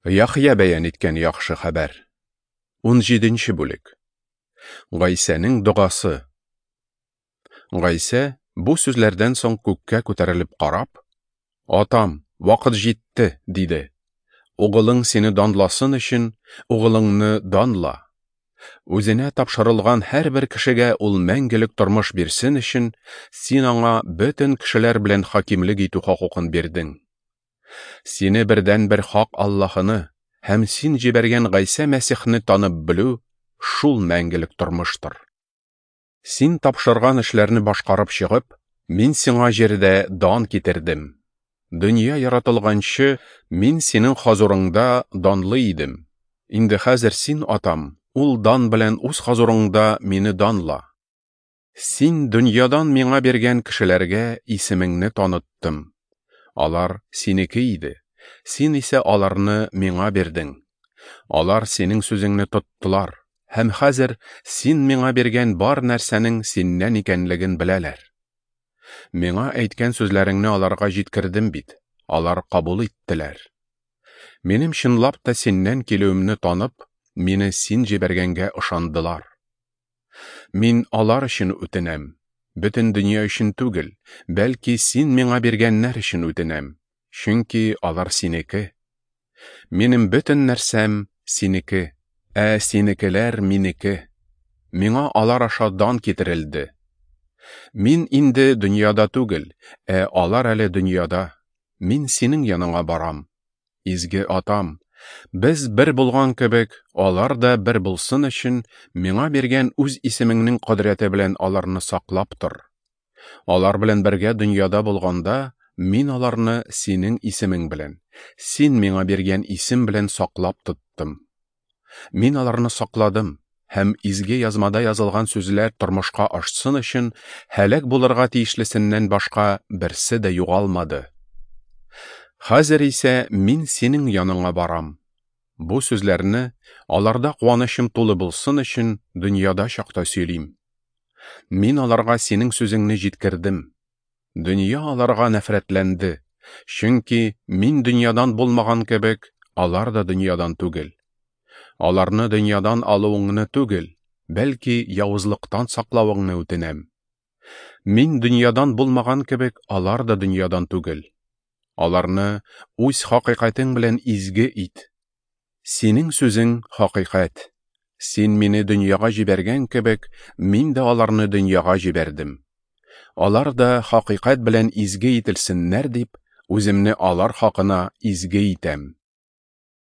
Яхъя бәян иткән яхшы хәбәр. 17 бүлек. Гайсәнең догасы. Гайсә бу сүзләрдән соң күккә күтәрелеп карап, Атам, вакыт җитте, диде. Угылың сине данласын өчен, угылыңны данла. Үзенә тапшырылган һәрбер кешегә ул мәңгелек тормыш бирсен өчен, син аңа бөтен кешеләр белән хакимлек итү хокукын бирдең. Сине бердәнбер хак Аллаһыны һәм син җибәргән Гайсә Мәсихне танып белү шул мәңгелек тормыштыр. Син тапшырган эшләрне башкарып чыгып, мин сиңа җирдә дан китердем. Дөнья яратылганчы, мин синең хозурыңда данлы идем. Инде хәзер син, Атам, ул дан белән үз хозурыңда мине данла. Син дөньядан миңа биргән кешеләргә исемеңне таныттым. Алар синеке иде, син исә аларны миңа бирдең. Алар синең сүзеңне тоттылар, һәм хәзер син миңа биргән бар нәрсәнең синнән икәнлеген беләләр. Миңа әйткән сүзләреңне аларга җиткердем бит, алар кабул иттеләр. Минем чынлап та синнән килүемне танып, мине син җибәргәнгә ышандылар. Мин алар өчен үтенәм, бөтен дөнья өчен түгел, бәлки син миңа биргәннәр өчен үтенәм, чөнки алар синеке. Минем бөтен нәрсәм синеке, ә синекеләр минеке. Миңа алар аша дан китерелде. Мин инде дөньяда түгел, ә алар әле дөньяда. Мин синең яныңа барам. Изге Атам, без бер булган кебек, алар да бер булсын өчен, миңа биргән үз исемеңнең кодрәте белән аларны саклап тор. Алар белән бергә дөньяда булганда, мин аларны синең исемең белән, син миңа биргән исем белән саклап тоттым. Мин аларны сакладым, һәм изге язмада язылган сүзләр тормышка ашсын өчен һәлак булырга тиешлесеннән башка берсе дә югалмады. Хәзер исә мин синең яныңа барам. Бу сүзләрне аларда куанычым тулы булсын өчен дөньяда чакта сөйлим. Мин аларга синең сүзеңне җиткердем. Дөнья аларга нәфрәтләнде, чөнки мин дөньядан булмаган кебек, алар да дөньядан түгел. Аларны дөньядан алуыңны түгел, бәлки явызлыктан саклавыңны үтенәм. Мин дөньядан булмаган кебек, алар да дөньядан түгел. Аларны үз хакыйкатең белән изге ит. Синең сүзең хакыйкать. Син мине дөньяга җибәргән кебек, мин дә аларны дөньяга җибәрдем. Алар да хакыйкать белән изге ителсеннәр дип, үземне алар хакына изге итәм.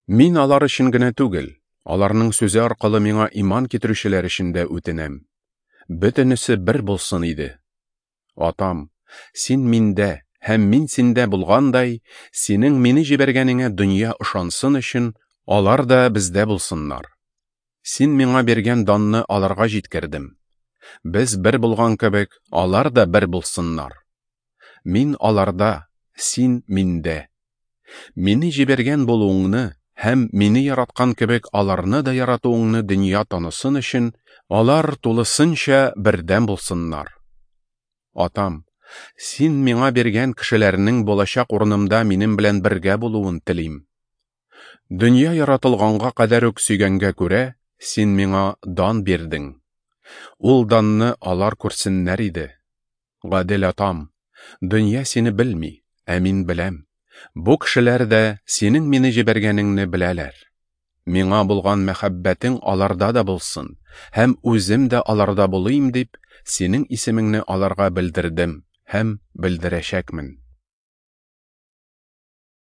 Мин алар өчен генә түгел, аларның сүзе аркылы миңа иман китерүчеләр өчен дә үтенәм. Бөтенесе бер булсын иде. Атам, син миндә һәм мин синдә булгандай, синең мине җибәргәнеңә дөнья ышансын өчен, алар да бездә булсыннар. Син миңа биргән данны аларга җиткердем. Без бер булган кебек, алар да бер булсыннар. Мин аларда, син миндә. Мине җибәргән булуыңны һәм мине яраткан кебек аларны да яратуыңны дөнья танысын өчен, алар тулысынча бердәм булсыннар. Атам, син миңа биргән кешеләрнең булачак урынымда минем белән бергә булуын телим. Дөнья яратылганга кадәр үк сөйгәнгә күрә, син миңа дан бирдең. Ул данны алар күрсеннәр иде. Гадел Атам, дөнья сине белми, ә мин беләм. Бу кешеләр дә синең мине җибәргәнеңне беләләр. Миңа булган мәхәббәтең аларда да булсын, һәм үзем дә аларда булыйм дип, синең исемеңне аларга белдердем һәм белдерәчәкмен.